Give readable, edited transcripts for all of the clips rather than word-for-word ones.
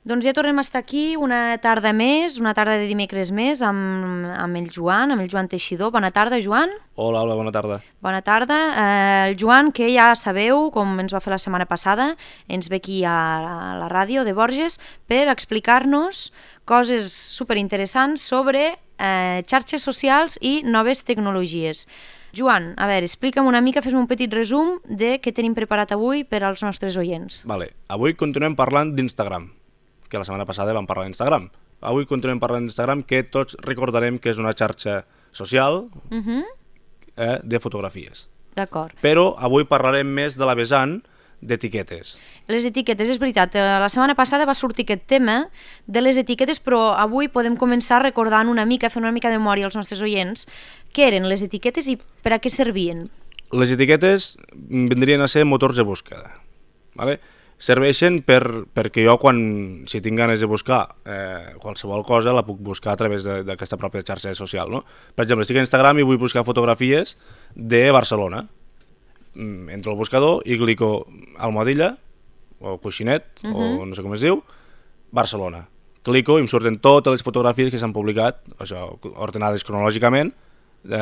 Doncs ja tornem a estar aquí una tarda més, una tarda de dimecres més, amb el Joan Teixidor. Bona tarda, Joan. Hola, Alba, bona tarda. Bona tarda. El Joan, que ja sabeu, com ens va fer la setmana passada, ens ve aquí a la ràdio de Borges per explicar-nos coses superinteressants sobre xarxes socials i noves tecnologies. Joan, a veure, explica'm una mica, fes-me un petit resum de què tenim preparat avui per als nostres oients. Vale. Avui continuem parlant d'Instagram, que la setmana passada vam parlar d'Instagram. Avui continuem parlant d'Instagram, que tots recordarem que és una xarxa social de fotografies. D'acord. Però avui parlarem més de la vessant d'etiquetes. Les etiquetes, és veritat, la setmana passada va sortir aquest tema de les etiquetes, però avui podem començar recordant una mica, fent una mica de memòria als nostres oients, què eren les etiquetes i per a què servien. Les etiquetes vindrien a ser motors de búsqueda, ¿vale? Serveixen perquè jo, si tinc ganes de buscar qualsevol cosa, la puc buscar a través d'aquesta pròpia xarxa social, no? Per exemple, estic a Instagram i vull buscar fotografies de Barcelona. Entro al buscador i clico almohadilla, o coixinet, o no sé com es diu, Barcelona. Clico i em surten totes les fotografies que s'han publicat, això, ordenades cronològicament,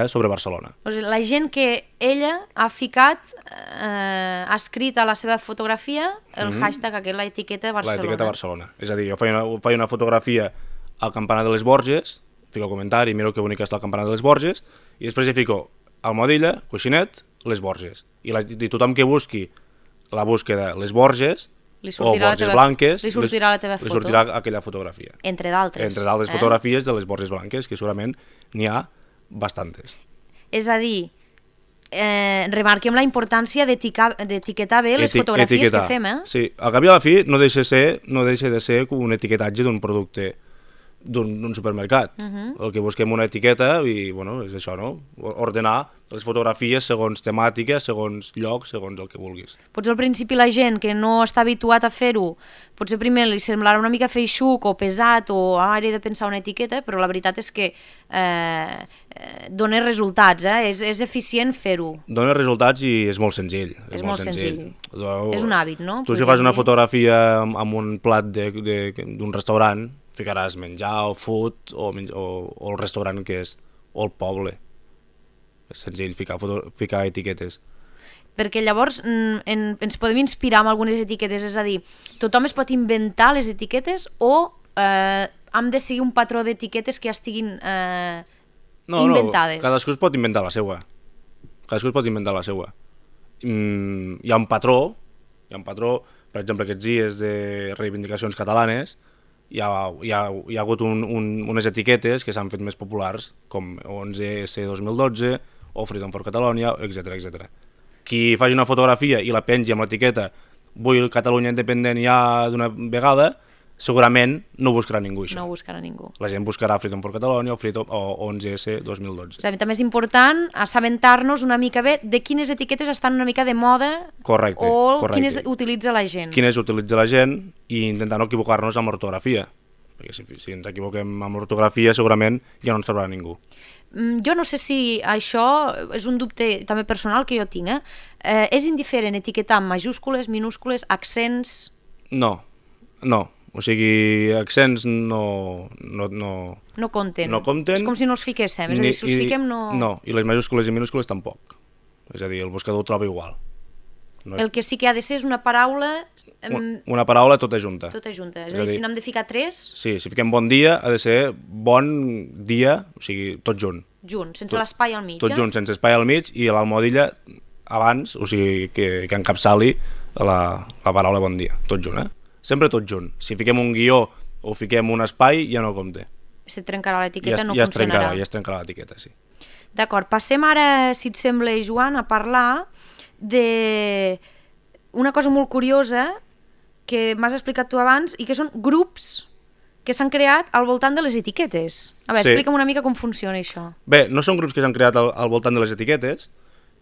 sobre Barcelona. O sigui, la gent que ella ha ficat, ha escrit a la seva fotografia el hashtag aquest, l'etiqueta Barcelona. L'etiqueta Barcelona. És a dir, jo faig una fotografia al campanar de les Borges, fico el comentari, miro que bonica està el campanar de les Borges, i després hi fico almohadilla, coixinet, les Borges. I tothom que busqui la búsqueda les Borges o Borges blanques, li sortirà la teva foto. Li sortirà aquella fotografia. Entre d'altres. Entre d'altres fotografies de les Borges blanques, que segurament n'hi ha bastantes. És a dir, remarquem la importància d'etiquetar bé les fotografies que fem, Sí, al cap i a la fi no deixa de ser un etiquetatge d'un producte d'un supermercat. El que busquem una etiqueta i, bueno, és això, no? Ordenar les fotografies segons temàtica, segons lloc, segons el que vulguis. Potser al principi la gent que no està habituat a fer-ho, potser primer li semblarà una mica feixuc o pesat o ara he de pensar una etiqueta, però la veritat és que dona resultats, és eficient fer-ho. Dona resultats i és molt senzill. És molt senzill. És un hàbit, no? Tu si fas una fotografia amb un plat d'un restaurant, ficaràs menjar o food o el restaurant que és, o el poble. És senzill ficar etiquetes. Perquè llavors ens podem inspirar amb algunes etiquetes, és a dir, tothom es pot inventar les etiquetes o hem de seguir un patró d'etiquetes que ja estiguin inventades? No, cadascú es pot inventar la seva. Hi ha un patró, per exemple, aquests dies de reivindicacions catalanes, hi ha hagut unes etiquetes que s'han fet més populars, com 11S 2012 o Freedom for Catalonia, etc. Qui faci una fotografia i la pengi amb l'etiqueta vull Catalunya independent ja d'una vegada, segurament no buscarà ningú això. No buscarà ningú. La gent buscarà Freedom for Catalonia o 11S 2012. També és important assabentar-nos una mica bé de quines etiquetes estan una mica de moda. Correcte. Quines utilitza la gent. Quines utilitza la gent i intentar no equivocar-nos amb l'ortografia. Perquè si ens equivoquem amb l'ortografia segurament ja no ens trobarà ningú. Jo no sé si això és un dubte també personal que jo tinc. És indiferent etiquetar amb majúscules, minúscules, accents? No. O sigui, accents no compten. És com si no els fiquéssim, és a dir, si els fiquem no... No, i les majúscules i minúscules tampoc. És a dir, el buscador ho troba igual. El que sí que ha de ser és una paraula... Una paraula tota junta. És a dir, si n'hem de ficar 3... Sí, si fiquem bon dia ha de ser bon dia, o sigui, tot junt. Sense l'espai al mig. Tot junt, sense espai al mig, i l'almohadilla abans, o sigui, que encapçali la paraula bon dia, tot junt, Sempre tot junt. Si fiquem un guió o fiquem un espai, ja no compte. Se trencarà l'etiqueta, no funcionarà. Ja es trencarà l'etiqueta, sí. D'acord, passem ara, si et sembla, Joan, a parlar d'una cosa molt curiosa que m'has explicat tu abans i que són grups que s'han creat al voltant de les etiquetes. A veure, explica'm una mica com funciona això. Bé, no són grups que s'han creat al voltant de les etiquetes,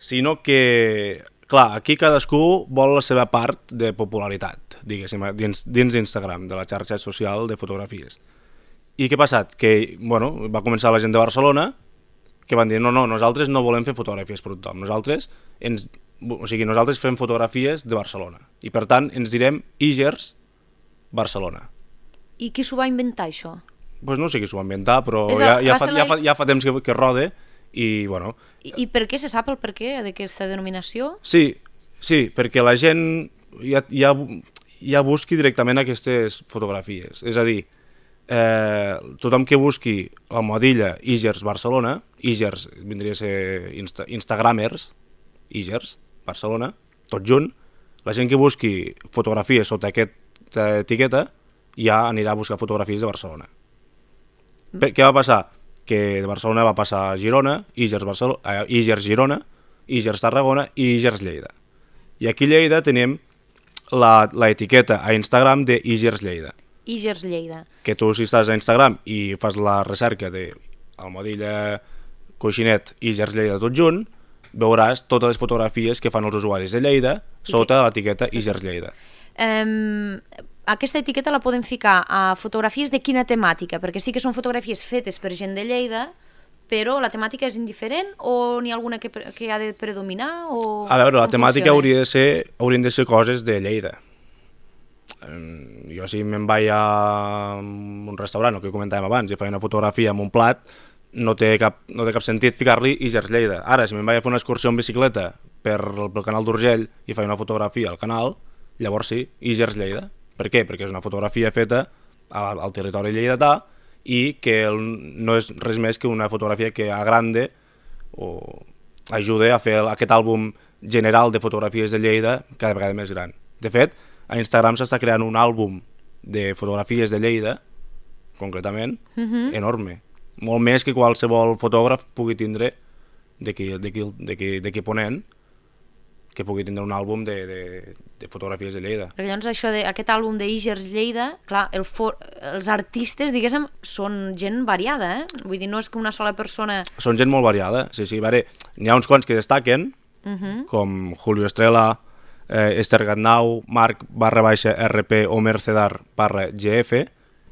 sinó que... Clar, aquí cadascú vol la seva part de popularitat, diguéssim, dins d'Instagram, de la xarxa social de fotografies. I què ha passat? Que, bueno, va començar la gent de Barcelona que van dir, no, nosaltres no volem fer fotografies per tothom, nosaltres fem fotografies de Barcelona i per tant ens direm Igers Barcelona. I qui s'ho va inventar, això? Pues no sé qui s'ho va inventar, però És ja fa temps que rode i, bueno... I per què se sap el per què d'aquesta denominació? Sí, perquè la gent ja busqui directament aquestes fotografies. És a dir, tothom que busqui la modilla Igers Barcelona, Igers vindria a ser Instagramers, Igers Barcelona, tot junt, la gent que busqui fotografies sota aquesta etiqueta ja anirà a buscar fotografies de Barcelona. Què va passar? Que de Barcelona va passar a Girona, Igers Girona, Igers Tarragona i Igers Lleida. I aquí a Lleida tenim l'etiqueta a Instagram de Igers Lleida. Igers Lleida. Que tu, si estàs a Instagram i fas la recerca de Almodilla Coixinet Igers Lleida tot junt, veuràs totes les fotografies que fan els usuaris de Lleida sota l'etiqueta Igers Lleida. Aquesta etiqueta la podem ficar a fotografies de quina temàtica? Perquè sí que són fotografies fetes per gent de Lleida, però la temàtica és indiferent o n'hi ha alguna que ha de predominar? A veure, la temàtica haurien de ser coses de Lleida. Jo si me'n vaig a un restaurant, el que comentàvem abans, i faig una fotografia amb un plat, no té cap sentit ficar-li Igers Lleida. Ara, si me'n vaig a fer una excursió en bicicleta pel canal d'Urgell i faig una fotografia al canal, llavors sí, Igers Lleida. Per què? Perquè és una fotografia feta al territori lleidatà i que no és res més que una fotografia que agrande o ajuda a fer aquest àlbum general de fotografies de Lleida cada vegada més gran. De fet, a Instagram s'està creant un àlbum de fotografies de Lleida, concretament, enorme. Molt més que qualsevol fotògraf pugui tindre d'aquí Ponent, que pugui tindre un àlbum de fotografies de Lleida. Perquè llavors aquest àlbum d'Igers Lleida, clar, els artistes, diguéssim, són gent variada, Vull dir, no és que una sola persona... Són gent molt variada, sí. N'hi ha uns quants que destaquen, com Julio Estrella, Esther Gatnau, Marc _RP o Mercedar _GF,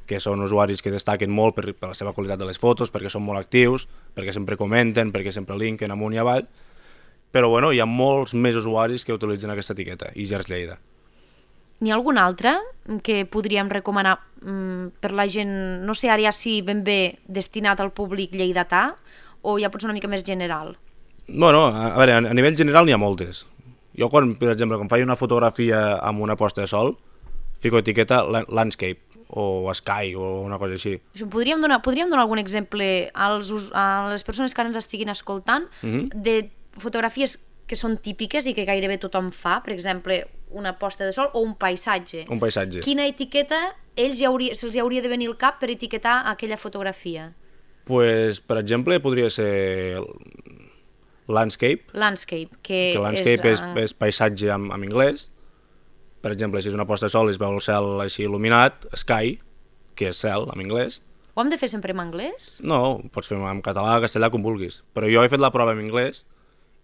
que són usuaris que destaquen molt per la seva qualitat de les fotos, perquè són molt actius, perquè sempre comenten, perquè sempre linken amunt i avall, però bueno, hi ha molts més usuaris que utilitzen aquesta etiqueta, Igers Lleida. N'hi ha algun altre que podríem recomanar per la gent, no sé ara ja si ben bé destinat al públic lleidatà o ja pot ser una mica més general? Bueno, a veure, a nivell general n'hi ha moltes. Jo, per exemple, quan faig una fotografia amb una posta de sol, fico etiqueta landscape o sky o una cosa així. Podríem donar algun exemple a les persones que ara ens estiguin escoltant de fotografies que són típiques i que gairebé tothom fa, per exemple, una posta de sol o un paisatge. Un paisatge. Quina etiqueta se'ls hauria de venir al cap per etiquetar aquella fotografia? Pues, per exemple, podria ser landscape. Landscape, que landscape és paisatge en anglès. Per exemple, si és una posta de sol i es veu el cel així il·luminat, sky, que és cel en anglès. Ho hem de fer sempre en anglès? No, pots fer en català, castellà, com vulguis. Però jo he fet la prova en anglès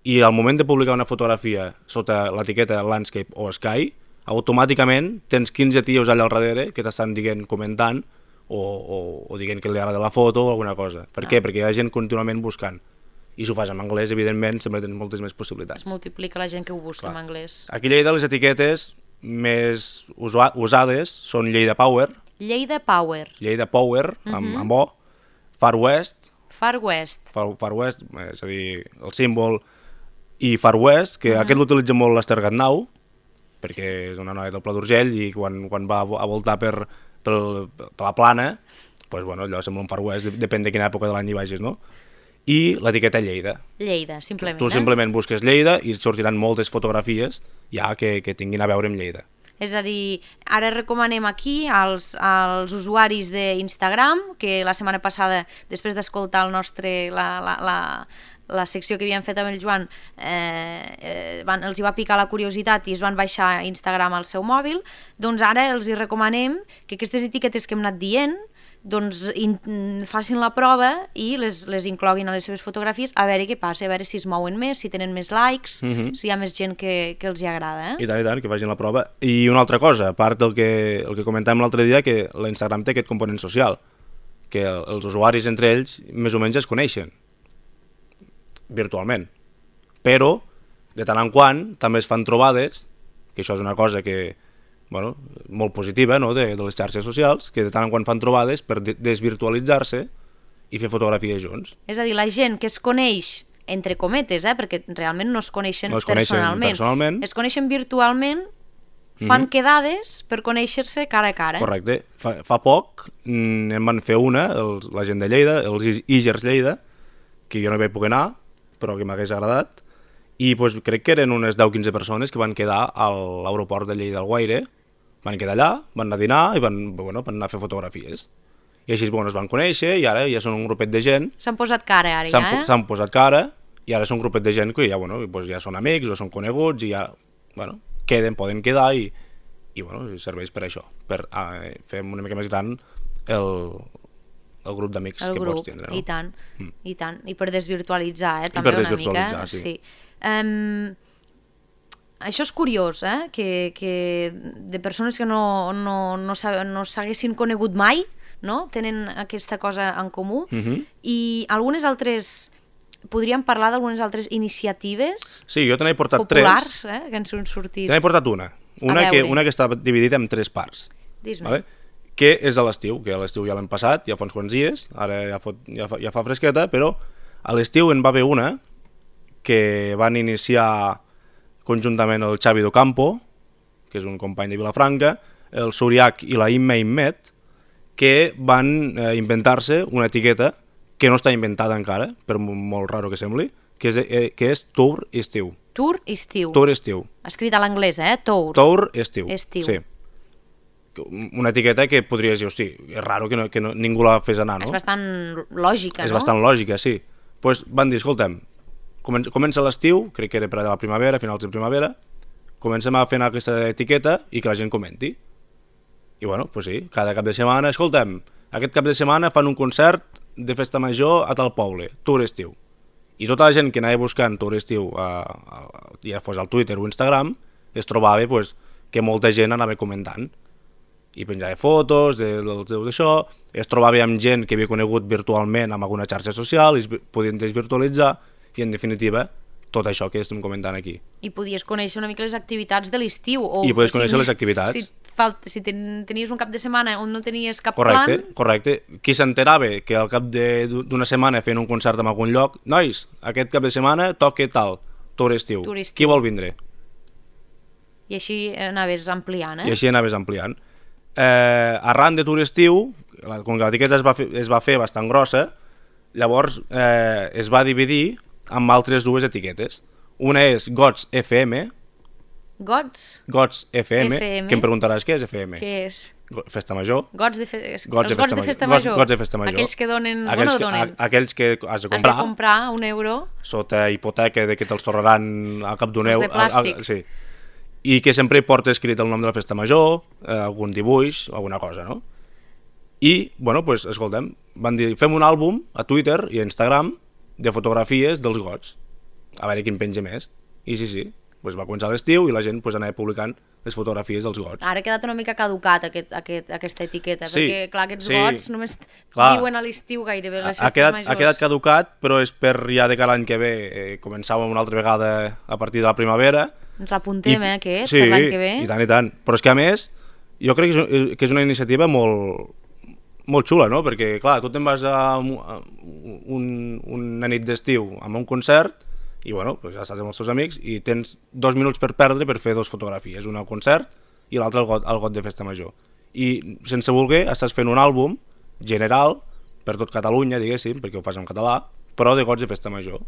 i al moment de publicar una fotografia sota l'etiqueta landscape o sky, automàticament tens 15 tios allà al darrere que t'estan dient, comentant o dient que li agrada la foto o alguna cosa. Per què? Perquè hi ha gent contínuament buscant. I si ho fas en anglès, evidentment, sempre tens moltes més possibilitats. Es multiplica la gent que ho busca en anglès. Aquí a Lleida les etiquetes més usades són Lleida Power. Lleida Power. Lleida Power, amb O. Far West. Far West. Far West, és a dir, el símbol. I Far West, que aquest l'utilitza molt l'Esther Gatnau, perquè és una noia del Pla d'Urgell i quan va a voltar per la plana, doncs, bueno, allò sembla un Far West, depèn de quina època de l'any hi vagis, no? I l'etiqueta Lleida. Lleida, simplement. Tu simplement busques Lleida i et sortiran moltes fotografies ja que tinguin a veure amb Lleida. És a dir, ara recomanem aquí als usuaris d'Instagram, que la setmana passada, després d'escoltar la secció que havíem fet amb el Joan, els hi va picar la curiositat i es van baixar a Instagram al seu mòbil, doncs ara els hi recomanem que aquestes etiquetes que hem anat dient doncs facin la prova i les incloguin a les seves fotografies a veure què passa, a veure si es mouen més, si tenen més likes, si hi ha més gent que els hi agrada. I tant, que facin la prova. I una altra cosa, a part del que comentàvem l'altre dia, que l'Instagram té aquest component social, que els usuaris entre ells més o menys es coneixen virtualment, però de tant en quant també es fan trobades, que això és una cosa que molt positiva, no?, de les xarxes socials, que de tant en quan fan trobades per desvirtualitzar-se i fer fotografies junts. És a dir, la gent que es coneix, entre cometes, perquè realment no es coneixen, personalment, es coneixen virtualment, fan quedades per conèixer-se cara a cara. Correcte. Fa poc en van fer una, la gent de Lleida, els Igers Lleida, que jo no hi vaig poder anar, però que m'hagués agradat, i doncs, crec que eren unes 10-15 persones que van quedar a l'aeroport de Lleida Alguaire, van quedar allà, van anar a dinar i van anar a fer fotografies. I així es van conèixer i ara ja són un grupet de gent. S'han posat cara ara ja, S'han posat cara i ara són un grupet de gent que ja, ja són amics o són coneguts i ja poden quedar i serveix per això, per fer una mica més gran el grup d'amics que pots tindre. I tant, i tant. I per desvirtualitzar, també una mica. Sí. Això és curiós, que de persones que no s'haguessin conegut mai, no? Tenen aquesta cosa en comú, i algunes altres, podríem parlar d'algunes altres iniciatives jo te n'he portat populars, que ens han sortit. Te n'he portat una que està dividida en 3 parts. Dis-me. Vale? Que és a l'estiu, que a l'estiu ja l'hem passat, ja fa uns quants dies, ara ja fa fresqueta, però a l'estiu en va haver una que van iniciar conjuntament el Xavi Docampo, que és un company de Vilafranca, el Suriac i la Imma Immet, que van inventar-se una etiqueta que no està inventada encara, per molt raro que sembli, que és Tour Estiu. Tour Estiu. Tour Estiu. Escrit a l'anglès, Tour. Tour Estiu. Sí. Una etiqueta que podries dir, hosti, és raro que ningú la fes anar, no? És bastant lògica, no? És bastant lògica, sí. Doncs van dir, escolta'm, comença l'estiu, crec que era per a la primavera, finals de primavera, comencem a fer aquesta etiqueta i que la gent comenti. I doncs sí, cada cap de setmana, escolta'm, aquest cap de setmana fan un concert de festa major a tal poble, Tour Estiu. I tota la gent que anava buscant Tour Estiu, ja fos al Twitter o Instagram, es trobava que molta gent anava comentant. I penjava fotos d'això, es trobava amb gent que havia conegut virtualment amb alguna xarxa social, i es podien desvirtualitzar, i en definitiva, tot això que estem comentant aquí. I podies conèixer una mica les activitats de l'estiu. I podies conèixer les activitats. Si tenies un cap de setmana on no tenies cap plan... Correcte. Qui s'enterava que al cap d'una setmana feien un concert en algun lloc, nois, aquest cap de setmana toca tal, Tour Estiu. Qui vol vindre? I així anaves ampliant. Arran de Tour Estiu, com que l'etiqueta es va fer bastant grossa, llavors es va dividir amb altres dues etiquetes. Una és Gots FM. Gots FM, que em preguntaràs què és FM. Què és? Festa Major. Gots de Festa Major. Aquells que donen... Aquells que has de comprar. Has de comprar €1. Sota hipoteca de que te'ls tornaran a cap d'un euro. De plàstic. Sí. I que sempre hi porta escrit el nom de la festa major, algun dibuix, alguna cosa, no? I, escolta'm, van dir, fem un àlbum a Twitter i a Instagram de fotografies dels gots, a veure quin penja més. I sí, va començar l'estiu i la gent anava publicant les fotografies dels gots. Ara ha quedat una mica caducat aquesta etiqueta, perquè clar, aquests gots només diuen a l'estiu gairebé les festes majors. Ha quedat caducat, però és per ja de que l'any que ve començàvem una altra vegada a partir de la primavera. Ens l'apuntem, aquest, per l'any que ve. Sí, i tant. Però és que a més, jo crec que és una iniciativa molt xula, no? Perquè, clar, tu te'n vas a una nit d'estiu amb un concert i, ja estàs amb els teus amics i tens 2 minuts per perdre per fer 2 fotografies, una al concert i l'altra al got de festa major. I, sense voler, estàs fent un àlbum general per tot Catalunya, diguéssim, perquè ho fas en català, però de gots de festa major.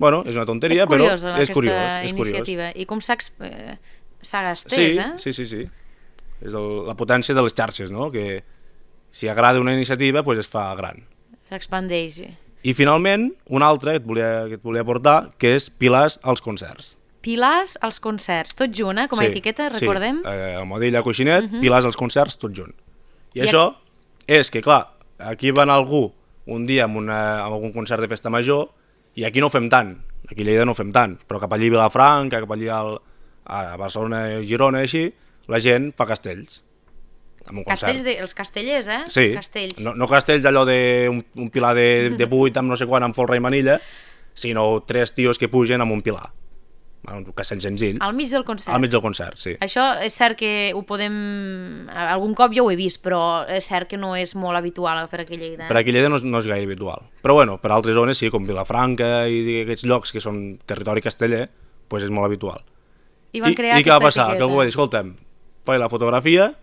És una tonteria, però és curiós. Aquesta iniciativa. I com s'ha estès, Sí. És la potència de les xarxes, no? Que si agrada una iniciativa, es fa gran. S'expandeix. I finalment, una altra que et volia portar, que és Pilars als concerts. Pilars als concerts, tot junt, com a etiqueta, recordem? Sí, Almohadilla, Coixinet, Pilars als concerts, tot junt. I això és que, clar, aquí va anar algú un dia amb algun concert de festa major i aquí no ho fem tant, aquí a Lleida no ho fem tant, però cap allí a Vilafranca, cap allí a Barcelona, Girona, així, la gent fa castells. Els castellers, Sí, castells. No castells allò d'un pilar de 8 amb no sé quan, amb folre i manilla, sinó 3 tios que pugen amb un pilar. que sent senzill. Al mig del concert. Al mig del concert, sí. Això és cert que ho podem... Algun cop jo ho he vist, però és cert que no és molt habitual per aquí a Lleida. Per aquí a Lleida no és gaire habitual. Però bueno, per altres zones sí, com Vilafranca i aquests llocs que són territori casteller, doncs és molt habitual. I van crear I què va aquesta passar? Que algú va dir, escolta'm, faig la fotografia,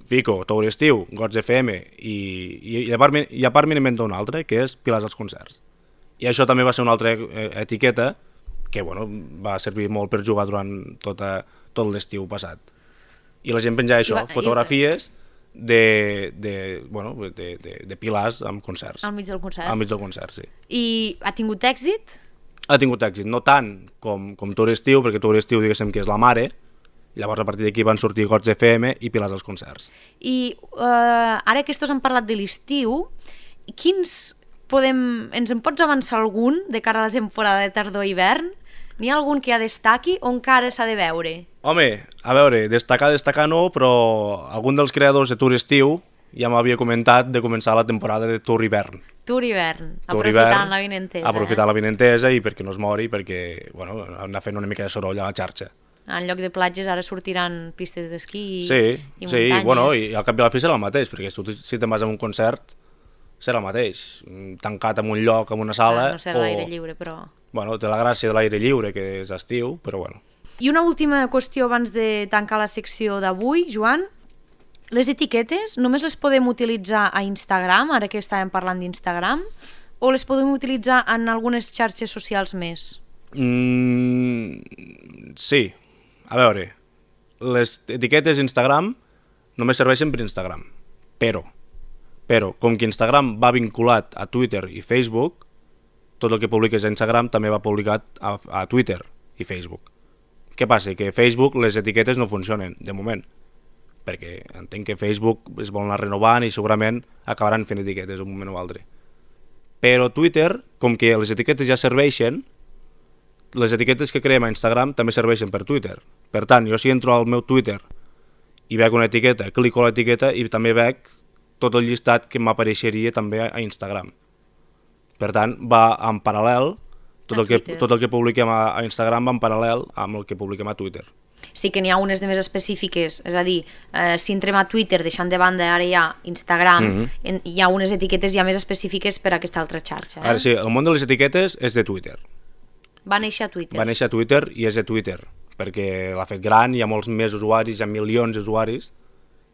fico Tauri Estiu, Gots FM i a part m'he inventat una altra, que és Pilars als concerts. I això també va ser una altra etiqueta que bueno, va servir molt per jugar durant tot l'estiu passat. I la gent penjava això, fotografies de pilars amb concerts. Al mig del concert. Al mig del concert, sí. I ha tingut èxit? Ha tingut èxit, no tant com Tauri Estiu, perquè Tauri Estiu diguéssim que és la mare, llavors a partir d'aquí van sortir Gots FM i Pilars als concerts. I ara que estos han parlat de l'estiu, ens en pots avançar algun de cara a la temporada de tardor-hivern? N'hi ha algun que ja destaqui o encara s'ha de veure? Home, a veure, destacar no, però algun dels creadors de Tour Estiu ja m'havia comentat de començar la temporada de Tour Hivern. Tour Hivern, aprofitant la vinentesa. Aprofitar la vinentesa i perquè no es mori, perquè bueno, anar fent una mica de soroll a la xarxa. En lloc de platges ara sortiran pistes d'esquí i muntanyes. Sí, bueno, i al cap i a la fi serà el mateix, perquè si te'n vas a un concert serà el mateix, tancat en un lloc, en una sala... No serà l'aire lliure, però... Bueno, té la gràcia de l'aire lliure, que és estiu, però bueno. I una última qüestió abans de tancar la secció d'avui, Joan. Les etiquetes només les podem utilitzar a Instagram, ara que estàvem parlant d'Instagram, o les podem utilitzar en algunes xarxes socials més? Sí. A veure, les etiquetes Instagram només serveixen per Instagram, però com que Instagram va vinculat a Twitter i Facebook, tot el que publiques a Instagram també va publicat a Twitter i Facebook. Què passa? Que a Facebook les etiquetes no funcionen, de moment, perquè entenc que Facebook es vol anar renovant i segurament acabaran fent etiquetes un moment o altre. Però Twitter, com que les etiquetes ja serveixen, les etiquetes que creem a Instagram també serveixen per Twitter. Per tant, jo si entro al meu Twitter i veig una etiqueta, clico a l'etiqueta i també veig tot el llistat que m'apareixeria també a Instagram. Per tant, va en paral·lel, tot el que publiquem a Instagram va en paral·lel amb el que publiquem a Twitter. Sí que n'hi ha unes de més específiques, és a dir, si entrem a Twitter deixant de banda ara ja Instagram, hi ha unes etiquetes ja més específiques per a aquesta altra xarxa. Ara sí, el món de les etiquetes és de Twitter. Va néixer a Twitter. Va néixer a Twitter i és de Twitter, perquè l'ha fet gran, hi ha molts més usuaris, hi ha milions d'usuaris,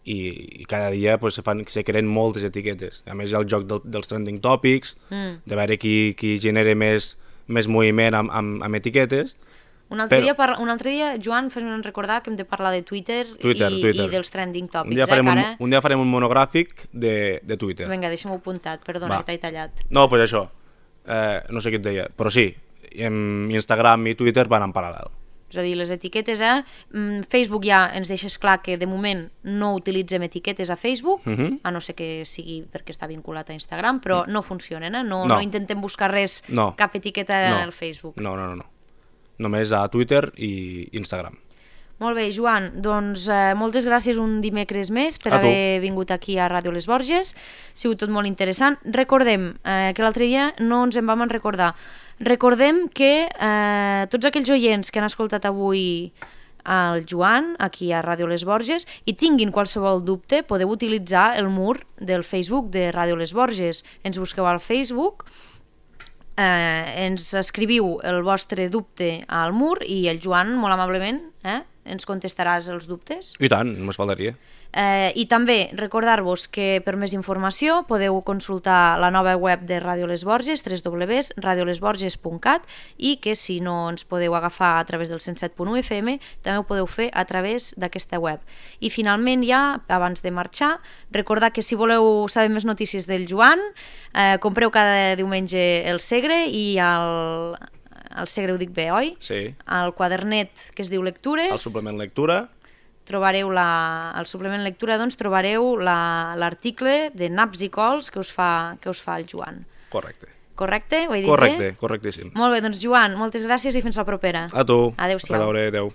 i cada dia se creen moltes etiquetes. A més hi ha el joc dels trending topics, de veure qui genera més moviment amb etiquetes. Un altre dia, Joan, fes-me'n recordar que hem de parlar de Twitter. I dels trending topics. Un dia farem un monogràfic de Twitter. Vinga, deixa'm-ho apuntat, perdona que t'he tallat. No, doncs això, no sé què et deia, però sí, Instagram i Twitter van en paral·lel. És a dir, les etiquetes, Facebook ja ens deixes clar que de moment no utilitzem etiquetes a Facebook, a no ser que sigui perquè està vinculat a Instagram, però no funcionen, no intentem buscar res, cap etiqueta al Facebook. No. Només a Twitter i Instagram. Molt bé, Joan, doncs moltes gràcies un dimecres més per haver vingut aquí a Ràdio Les Borges. Ha sigut tot molt interessant. Recordem que l'altre dia no ens en vam recordar. Recordem que tots aquells oients que han escoltat avui el Joan aquí a Ràdio Les Borges i tinguin qualsevol dubte, podeu utilitzar el mur del Facebook de Ràdio Les Borges. Ens busqueu al Facebook, ens escriviu el vostre dubte al mur i el Joan, molt amablement, ens contestaràs els dubtes. I tant, només faltaria. I també recordar-vos que per més informació podeu consultar la nova web de Ràdio Les Borges, www.radiolesborges.cat, i que si no ens podeu agafar a través del 107.1 FM també ho podeu fer a través d'aquesta web. I finalment ja, abans de marxar, recordar que si voleu saber més notícies del Joan, compreu cada diumenge el Segre i el Segre ho dic bé, oi? Sí. El quadernet que es diu Lectures. El suplement lectura. Trobareu al suplement lectura, doncs trobareu l'article de naps i cols que us fa el Joan. Correcte. Correcte? Ho he dit Correcte, correctíssim. Molt bé, doncs Joan, moltes gràcies i fins la propera. A tu. Adéu-siau. A veure, adéu.